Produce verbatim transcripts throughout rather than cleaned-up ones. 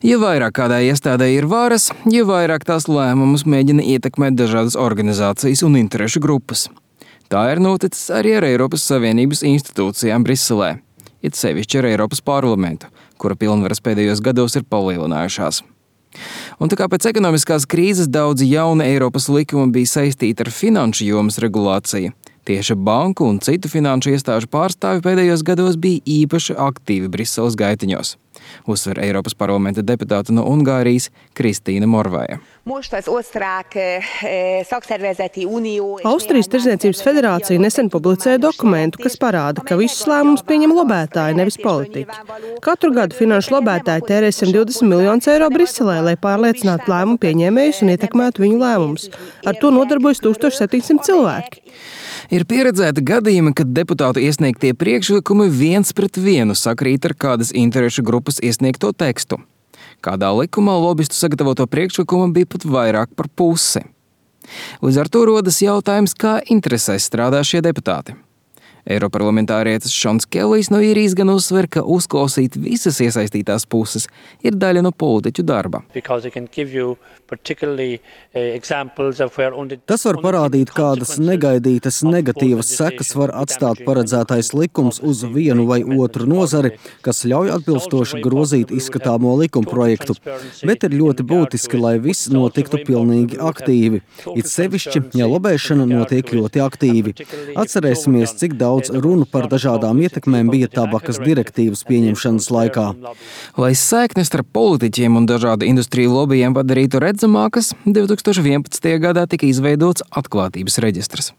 Jo vairāk kādai iestādē ir varas, jo vairāk tās lēmumus mēģina ietekmēt dažādas organizācijas un interešu grupas. Tā ir noticis arī ar Eiropas Savienības institūcijām Briselē, it sevišķi ar Eiropas parlamentu, kura pilnvaras pēdējos gados ir palielinājušās. Un tā kā pēc ekonomiskās krīzes daudzi jauni Eiropas likumi bija saistīti ar finanšu jomas regulāciju, tieši banku un citu finanšu iestāžu pārstāvi pēdējos gados bija īpaši aktīvi Briseles gaitiņos, uzsver Eiropas parlamenta deputāte no Ungārijas Kristīna Morvaja. Austrijas Tirdzniecības federācija nesen publicēja dokumentu, kas parāda, ka visus lēmumus pieņem lobētāji, nevis politiķi. Katru gadu finanšu lobētāji tērē simt divdesmit miljonus eiro Briselē, lai pārliecinātu lēmumu pieņēmējus un ietekmētu viņu lēmumus. Ar to nodarbojas tūkstoš septiņsimt cilvēki. Ir pieredzēti gadījumi, kad deputātu iesniegtie priekšlikumi viens pret vienu sakrīt ar kādas interešu grupas iesniegto tekstu. Kādā likumā lobistu sagatavoto priekšlikumu bija pat vairāk par pusi. Līdz ar to rodas jautājums, kā interesēs strādā šie deputāti. Eiroparlamentārietis Šons Kellijs no Īrijas gan uzsver, ka uzklausīt visas iesaistītās puses ir daļa no politiķu darba. Tas var parādīt, kādas negaidītas negatīvas sekas var atstāt paredzētais likums uz vienu vai otru nozari, kas ļauj atbilstoši grozīt izskatāmo likumprojektu. Bet ir ļoti būtiski, lai viss notiktu pilnīgi aktīvi. It sevišķi, ja lobēšana notiek ļoti aktīvi. Atcerēsimies, cik daudz Daudz runu par dažādām ietekmēm bija tabakas direktīvas pieņemšanas laikā. Lai saiknes starp politiķiem un dažādu industriju lobijiem padarītu redzamākas, divi tūkstoši vienpadsmitajā gadā tika izveidots atklātības reģistrs.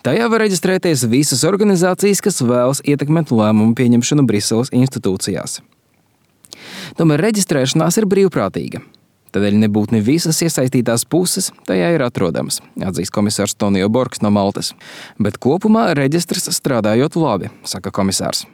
Tajā var reģistrēties visas organizācijas, kas vēlas ietekmēt lēmumu pieņemšanu Briseles institūcijās. Tomēr reģistrēšanās ir brīvprātīga. Tādēļ nebūtu ne visas iesaistītās puses tajā ir atrodamas, atzīst komisārs Tonio Borgs no Maltas. Bet kopumā reģistrs strādājot labi, saka komisārs.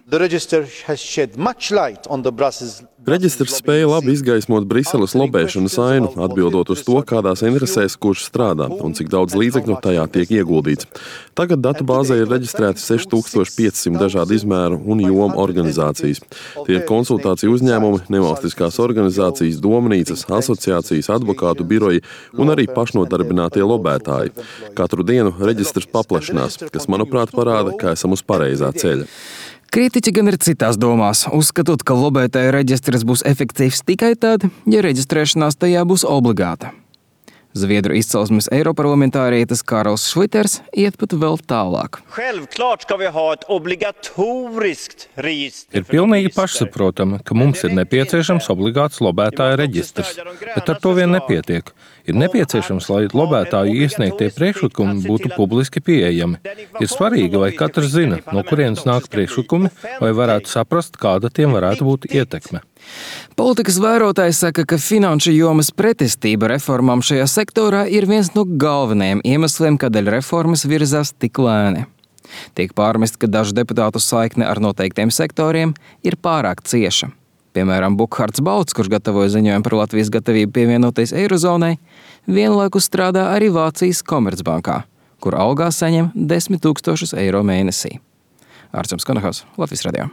Reģistrs spēja labi izgaismot Briseles lobēšanas ainu, atbildot uz to, kādās interesēs kurš strādā un cik daudz līdzekļu tajā tiek ieguldīts. Tagad datubāzē ir reģistrēti seši tūkstoši pieci simti dažādu izmēru un jomu organizācijas. Tie ir konsultāciju uzņēmumi, nevalstiskās organizācijas, domnīcas, asociācijas, advokātu biroji un arī pašnodarbinātie lobētāji. Katru dienu reģistrs paplašinās, kas, manuprāt, parāda, ka esam uz pareizā ceļa. Kritiķi gan ir citās domās, uzskatot, ka lobētāju reģistrs būs efektīvs tikai tad, ja reģistrēšanās tajā būs obligāta. Zviedru izcelsmes eiroparlamentārietis Karls Šliters iet pat vēl tālāk. Ir pilnīgi pašsaprotami, ka mums ir nepieciešams obligāts lobētāja reģistrs, bet ar to vien nepietiek. Ir nepieciešams, lai lobētāju iesniegtie priekšlikumi būtu publiski pieejami. Ir svarīgi, lai katrs zina, no kurienes nāk priekšlikumi, lai varētu saprast, kāda tiem varētu būt ietekme. Politikas vērotāji saka, ka finanšu jomas pretestība reformām šajā sektorā ir viens no galvenajiem iemesliem, kādēļ reformas virzās tik lēni. Tiek pārmest, ka dažu deputātu saikne ar noteiktiem sektoriem ir pārāk cieša. Piemēram, Bukhards Bauts, kurš gatavoja ziņojumu par Latvijas gatavību pievienoties Eirozonai, vienlaikus strādā arī Vācijas Komercbankā, kur algā saņem desmit tūkstošus eiro mēnesī. Ārčuns Konahaus, Latvijas radio.